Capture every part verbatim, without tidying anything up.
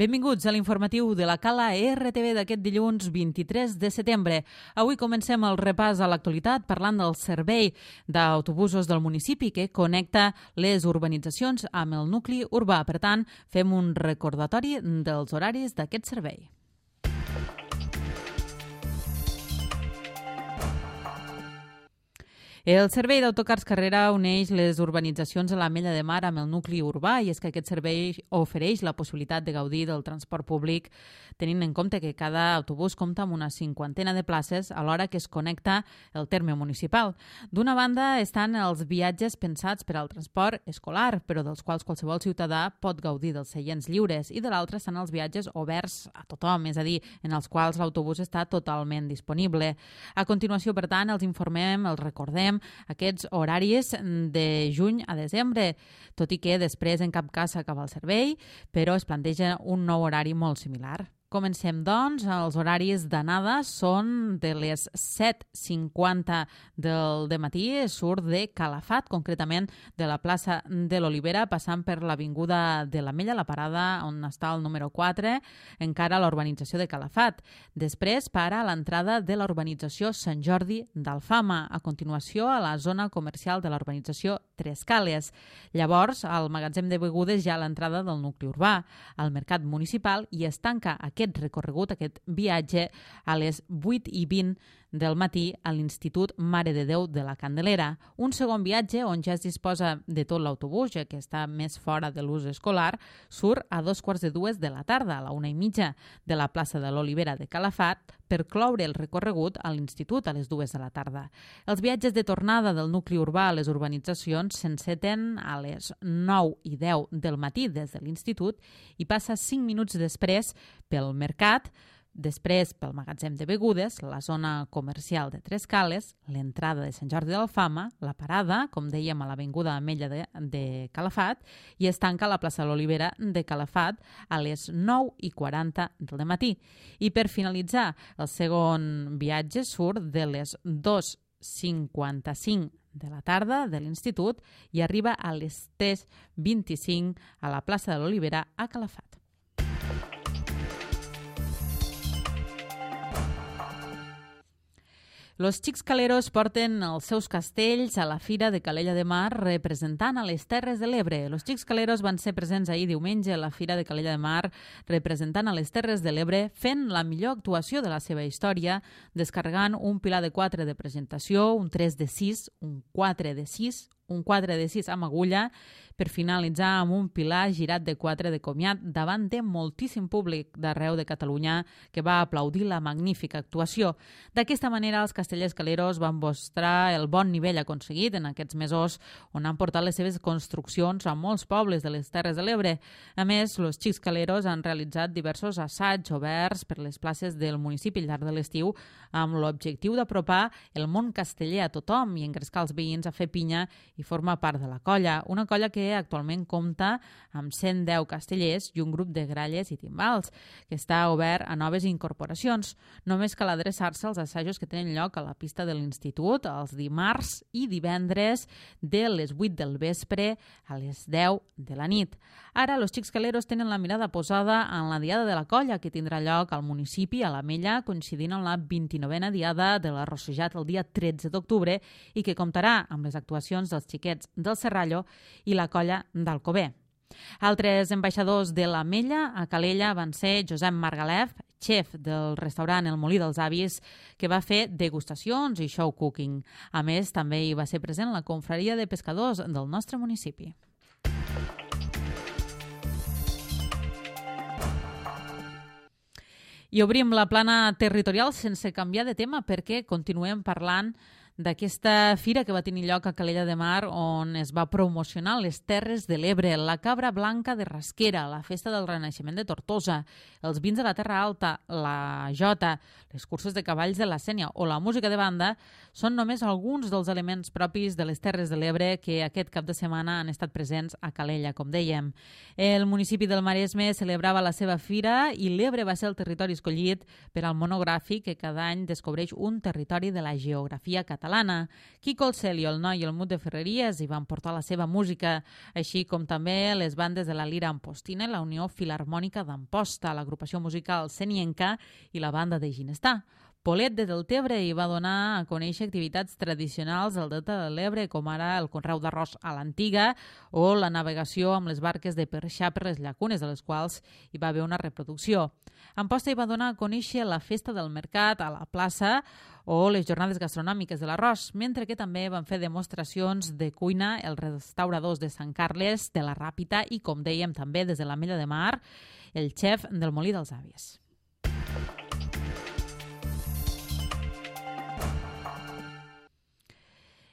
Benvinguts a l'informatiu de la Cala R T V d'aquest dilluns vint-i-tres de setembre. Avui comencem el repàs a l'actualitat parlant del servei d'autobusos del municipi que connecta les urbanitzacions amb el nucli urbà. Per tant, fem un recordatori dels horaris d'aquest servei. El servei d'autocars Carrera uneix les urbanitzacions a l'Ametlla de Mar amb el nucli urbà i és que aquest servei ofereix la possibilitat de gaudir del transport públic tenint en compte que cada autobús compta amb una cinquantena de places alhora que es connecta el terme municipal. D'una banda estan els viatges pensats per al transport escolar, però dels quals qualsevol ciutadà pot gaudir dels seients lliures, i de l'altra estan els viatges oberts a tothom, és a dir, en els quals l'autobús està totalment disponible. A continuació, per tant, els informem, els recordem aquests horaris de juny a desembre, tot i que després en cap cas s'acaba el servei, però es planteja un nou horari molt similar. Comencem, doncs. Els horaris d'anada són de les set cinquanta del dematí, surt de Calafat, concretament de la plaça de l'Olivera, passant per l'avinguda de l'Ametlla, la parada on està el número quatre, encara a la urbanització de Calafat. Després para a l'entrada de la urbanització Sant Jordi d'Alfama, a continuació a la zona comercial de la urbanització Tres Cales. Llavors, al magatzem de begudes ja a l'entrada del nucli urbà, al mercat municipal, i es tanca aquest aquest recorregut, aquest viatge, a les vuit i vint del matí a l'Institut Mare de Déu de la Candelera. Un segon viatge, on ja es disposa de tot l'autobús, ja que està més fora de l'ús escolar, surt a dos quarts de dues de la tarda, a la una i mitja de la plaça de l'Olivera de Calafat, per cloure el recorregut a l'Institut a les dues de la tarda. Els viatges de tornada del nucli urbà a les urbanitzacions s'enceten a les nou i deu del matí des de l'Institut i passa cinc minuts després pel mercat, després pel magatzem de begudes, la zona comercial de Tres Cales, l'entrada de Sant Jordi d'Alfama, la parada, com dèiem, a l'avinguda Ametlla de, de Calafat, i es tanca a la plaça de l'Olivera de Calafat a les nou i quaranta del matí. I per finalitzar, el segon viatge surt de les dos cinquanta-cinc de la tarda de l'Institut i arriba a les tres vint-i-cinc a la plaça de l'Olivera a Calafat. Los Xics Caleros porten els seus castells a la Fira de Calella de Mar representant a les Terres de l'Ebre. Los Xics Caleros van ser presents ahir diumenge a la Fira de Calella de Mar representant a les Terres de l'Ebre fent la millor actuació de la seva història, descarregant un pilar de quatre de presentació, un tres de sis, un quatre de sis, un quatre de sis amb agulla, per finalitzar amb un pilar girat de quatre de comiat davant de moltíssim públic d'arreu de Catalunya que va aplaudir la magnífica actuació. D'aquesta manera, els castellers caleros van mostrar el bon nivell aconseguit en aquests mesos on han portat les seves construccions a molts pobles de les Terres de l'Ebre. A més, los Xics Caleros han realitzat diversos assaigs oberts per les places del municipi al llarg de l'estiu amb l'objectiu d'apropar el món casteller a tothom i engrescar els veïns a fer pinya i forma part de la colla, una colla que actualment compta amb cent deu castellers i un grup de gralles i timbals, que està obert a noves incorporacions. Només cal adreçar-se als assajos que tenen lloc a la pista de l'Institut els dimarts i divendres de les vuit del vespre a les deu de la nit. Ara, los Xics Caleros tenen la mirada posada en la Diada de la Colla, que tindrà lloc al municipi, a l'Ametlla, coincidint amb la vint-i-novena Diada de la Rossejat el dia tretze d'octubre i que comptarà amb les actuacions dels xiquets del Serrallo i la colla d'Alcover. Altres ambaixadors de l'Ametlla a Calella van ser Josep Margalef, xef del restaurant El Molí dels Avis, que va fer degustacions i show cooking. A més, també hi va ser present la confraria de pescadors del nostre municipi. I obrim la plana territorial sense canviar de tema perquè continuem parlant d'aquesta fira que va tenir lloc a Calella de Mar on es va promocionar les Terres de l'Ebre, la cabra blanca de Rasquera, la festa del Renaixement de Tortosa, els vins de la Terra Alta, la jota, les curses de cavalls de la Sénia o la música de banda són només alguns dels elements propis de les Terres de l'Ebre que aquest cap de setmana han estat presents a Calella, com dèiem. El municipi del Maresme celebrava la seva fira i l'Ebre va ser el territori escollit per al monogràfic que cada any descobreix un territori de la geografia catalana catalana. Quico el Celio, el Noi i el Mut de Ferreries hi van portar la seva música, així com també les bandes de la Lira Ampostina, la Unió Filharmònica d'Amposta, l'agrupació musical Senienca i la banda de Ginestar. Polet de Deltebre hi va donar a conèixer activitats tradicionals del Delta de l'Ebre, com ara el conreu d'arròs a l'antiga o la navegació amb les barques de perxar per les llacunes, de les quals hi va haver una reproducció. Amposta hi va donar a conèixer la festa del mercat a la plaça o les jornades gastronòmiques de l'arròs, mentre que també van fer demostracions de cuina els restauradors de Sant Carles, de la Ràpita i, com dèiem, també des de l'Ametlla de Mar, el xef del Molí dels Àvies.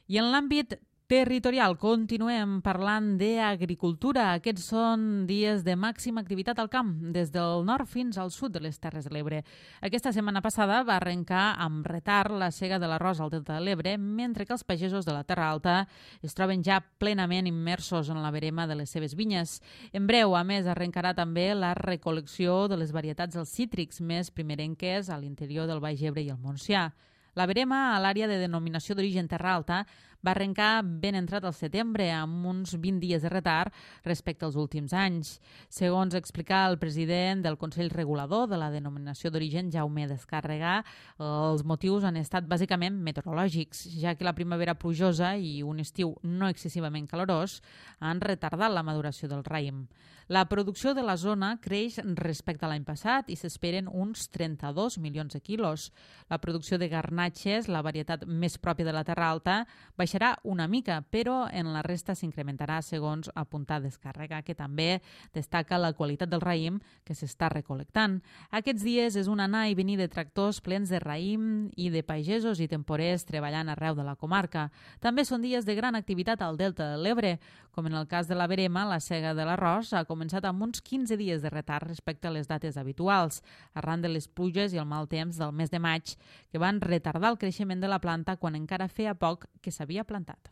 I en l'àmbit territorial continuem parlant d'agricultura. Aquests són dies de màxima activitat al camp, des del nord fins al sud de les Terres de l'Ebre. Aquesta setmana passada va arrencar amb retard la sega de l'arròs al Delta de l'Ebre, mentre que els pagesos de la Terra Alta es troben ja plenament immersos en la verema de les seves vinyes. En breu, a més, arrencarà també la recol·lecció de les varietats dels cítrics més primerenques a l'interior del Baix Ebre i el Montsià. La verema a l'àrea de denominació d'origen Terra Alta va arrencar ben entrat al setembre, amb uns vint dies de retard respecte als últims anys. Segons explica el president del Consell Regulador de la denominació d'origen, Jaume Descàrrega, els motius han estat bàsicament meteorològics, ja que la primavera plujosa i un estiu no excessivament calorós han retardat la maduració del raïm. La producció de la zona creix respecte a l'any passat i s'esperen uns trenta-dos milions de quilos. La producció de garnatxes, la varietat més pròpia de la Terra Alta, baixarà una mica, però en la resta s'incrementarà, segons apuntar Descàrrega, que també destaca la qualitat del raïm que s'està recol·lectant. Aquests dies és un anar i venir de tractors plens de raïm i de pagesos i temporers treballant arreu de la comarca. També són dies de gran activitat al Delta de l'Ebre. Com en el cas de la verema, la sega de l'arròs ha començat amb uns quinze dies de retard respecte a les dates habituals, arran de les pluges i el mal temps del mes de maig, que van retardar el creixement de la planta quan encara feia poc que s'havia plantat.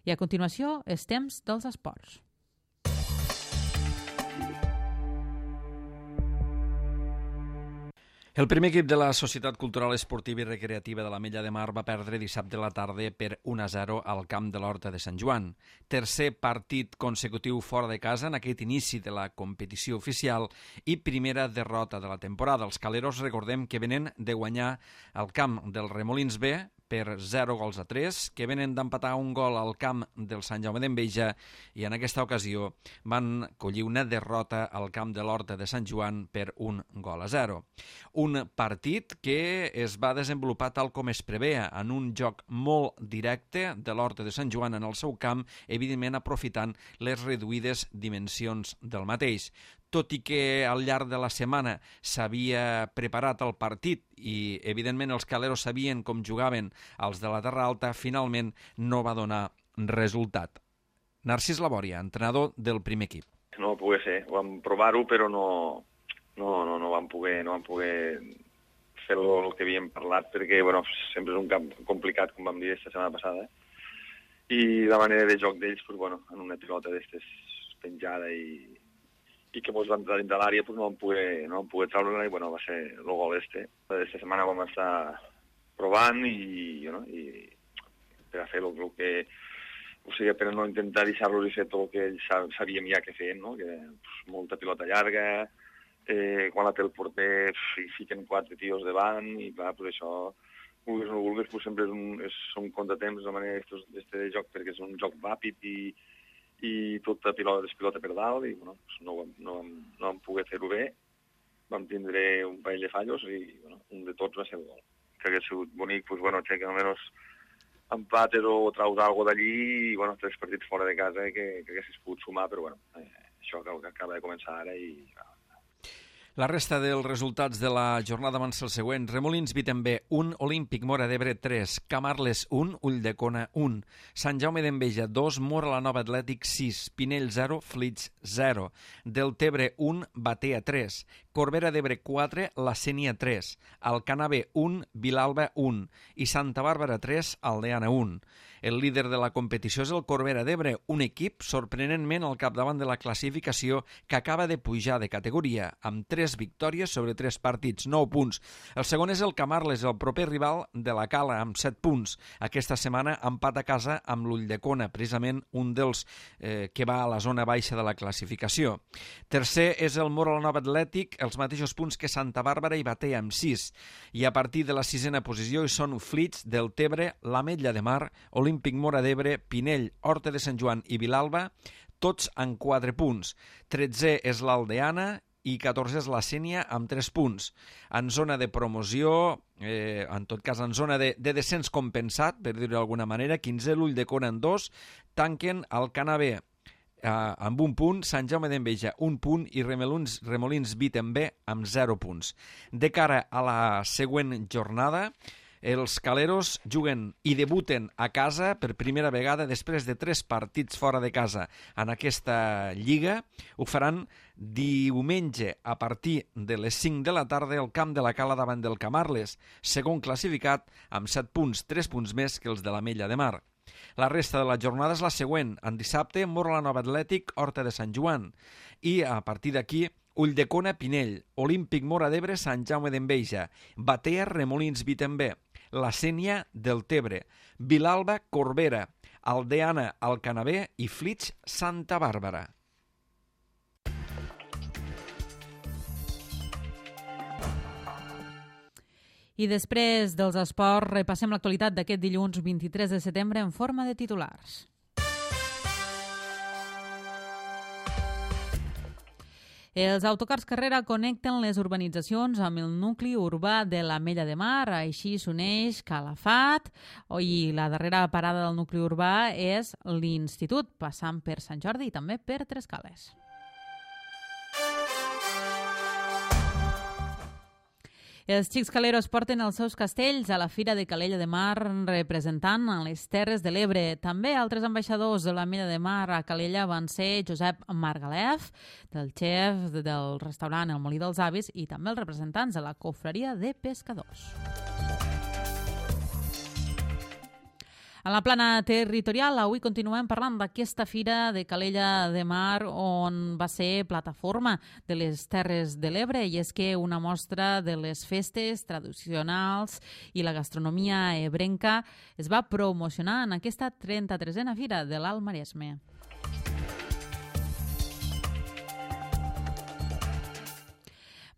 I a continuació, els temps dels esports. El primer equip de la Societat Cultural Esportiva i Recreativa de l'Ametlla de Mar va perdre dissabte a la tarda per un a zero al camp de l'Horta de Sant Joan. Tercer partit consecutiu fora de casa en aquest inici de la competició oficial i primera derrota de la temporada. Els caleros, recordem que venen de guanyar al camp del Remolins B per zero gols a tres, que venen d'empatar un gol al camp del Sant Jaume d'Enveja i en aquesta ocasió van collir una derrota al camp de l'Horta de Sant Joan per un gol a zero. Un partit que es va desenvolupar tal com es preveia, en un joc molt directe de l'Horta de Sant Joan en el seu camp, evidentment aprofitant les reduïdes dimensions del mateix. Tot i que al llarg de la setmana s'havia preparat el partit i, evidentment, els caleros sabien com jugaven els de la Terra Alta, finalment no va donar resultat. Narcís Labòria, entrenador del primer equip. No va poder ser, vam provar-ho, però no, no, no, no vam poder, no vam poder fer el que havíem parlat, perquè bueno, sempre és un camp complicat, com vam dir aquesta setmana passada, i la manera de joc d'ells, pues, bueno, en una pilota d'estes penjada i i que ens van entrar dins de l'àrea, pues no vam poder, no vam poder treure-la i bueno, va ser el gol este. Aquesta setmana vam estar provant i, no, i per a fer el, el que... O sigui, per no intentar deixar-los i fer tot el que ells sabíem ja que feien, no? Que pues, molta pilota llarga, eh, quan la té el porter hi fiquen quatre tios davant i clar, pues això, vulguis o no vulguis, pues sempre és un, és un contratemps de manera d'este de joc perquè és un joc ràpid i i tota pilota despilota per dalt i bueno, no, vam, no, vam, no vam poder fer-ho bé, vam tindre un parell de fallos i bueno, un de tots va ser el gol. Que hagués sigut bonic, pues, bueno, que almenys empates o traus alguna d'allí i bueno, tres partits fora de casa que, que haguessis pogut sumar, però bueno, eh, això que acaba de començar ara i... La resta dels resultats de la jornada van ser el següent. Remolins Vitember un, Olímpic Móra d'Ebre tres, Camarles un, Ulldecona un, Sant Jaume d'Enveja dos, Móra la Nova Atlètic sis, Pinell zero, Flix zero, Deltebre un, Batea tres, Corbera d'Ebre quatre, la Sénia tres, Alcanar B un, Vilalba un i Santa Bàrbara tres, Aldeana un. El líder de la competició és el Corbera d'Ebre, un equip sorprenentment al capdavant de la classificació que acaba de pujar de categoria, amb tres victòries sobre tres partits, nou punts. El segon és el Camarles, el proper rival de la Cala, amb set punts. Aquesta setmana empat a casa amb l'Ulldecona, precisament un dels eh, que va a la zona baixa de la classificació. Tercer és el Móra la Nova Atlètic, els mateixos punts que Santa Bàrbara i Batea amb sis. I a partir de la sisena posició hi són Flix, Deltebre, l'Ametlla de Mar, Olímpic Móra d'Ebre, Pinell, Horta de Sant Joan i Vilalba, tots amb quatre punts. Tretzè és l'Aldeana i catorzè és la Sénia amb tres punts. En zona de promoció, eh, en tot cas en zona de, de descens compensat, per dir-ho d'alguna manera, quinzè l'Ulldecona en dos, tanquen Alcanar B Uh, amb un punt, Sant Jaume d'Enveja un punt i Remolins, Remolins Bitten B amb zero punts. De cara a la següent jornada, els caleros juguen i debuten a casa per primera vegada després de tres partits fora de casa en aquesta lliga. Ho faran diumenge a partir de les cinc de la tarda al camp de la Cala davant del Camarles, segon classificat amb set punts, tres punts més que els de l'Ametlla de Mar. La resta de la jornada és la següent. En dissabte, Móra la Nova Atlètic, Horta de Sant Joan. I a partir d'aquí, Ulldecona, Pinell, Olímpic Móra d'Ebre, Sant Jaume d'Enveja, Batea, Remolins, Bitten B, la Sénia, Deltebre, Vilalba, Corbera, Aldeana, Alcanar B i Flix, Santa Bàrbara. I després dels esports, repassem l'actualitat d'aquest dilluns vint-i-tres de setembre en forma de titulars. Els autocars Carrera connecten les urbanitzacions amb el nucli urbà de l'Ametlla de Mar, així s'uneix Calafat, i la darrera parada del nucli urbà és l'Institut, passant per Sant Jordi i també per Trescales. Els xics caleros porten els seus castells a la Fira de Calella de Mar representant a les Terres de l'Ebre. També altres ambaixadors de l'Ametlla de Mar a Calella van ser Josep Margalef, del xef del restaurant El Molí dels Avis, i també els representants de la Confraria de Pescadors. En la plana territorial, avui continuem parlant d'aquesta Fira de Calella de Mar on va ser plataforma de les Terres de l'Ebre, i és que una mostra de les festes tradicionals i la gastronomia ebrenca es va promocionar en aquesta trenta-tresena Fira de l'Alt Maresme.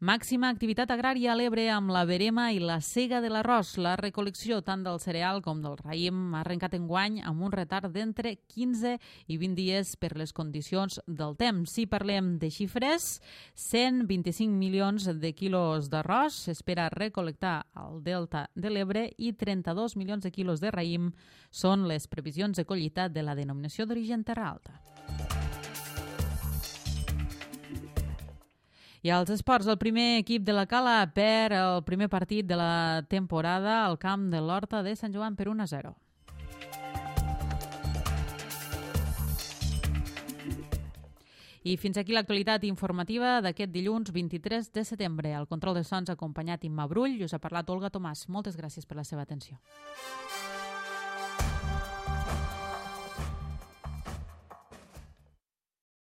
Màxima activitat agrària a l'Ebre amb la verema i la sega de l'arròs. La recol·lecció tant del cereal com del raïm ha arrencat enguany amb un retard d'entre quinze i vint dies per les condicions del temps. Si parlem de xifres, cent vint-i-cinc milions de quilos d'arròs s'espera recol·lectar al Delta de l'Ebre i trenta-dos milions de quilos de raïm són les previsions de collita de la denominació d'origen Terra Alta. I als esports, el primer equip de la Cala perd el primer partit de la temporada al camp de l'Horta de Sant Joan per un a zero. I fins aquí l'actualitat informativa d'aquest dilluns vint-i-tres de setembre. Al control de sons ha acompanyat Imma Brull i us ha parlat Olga Tomàs. Moltes gràcies per la seva atenció.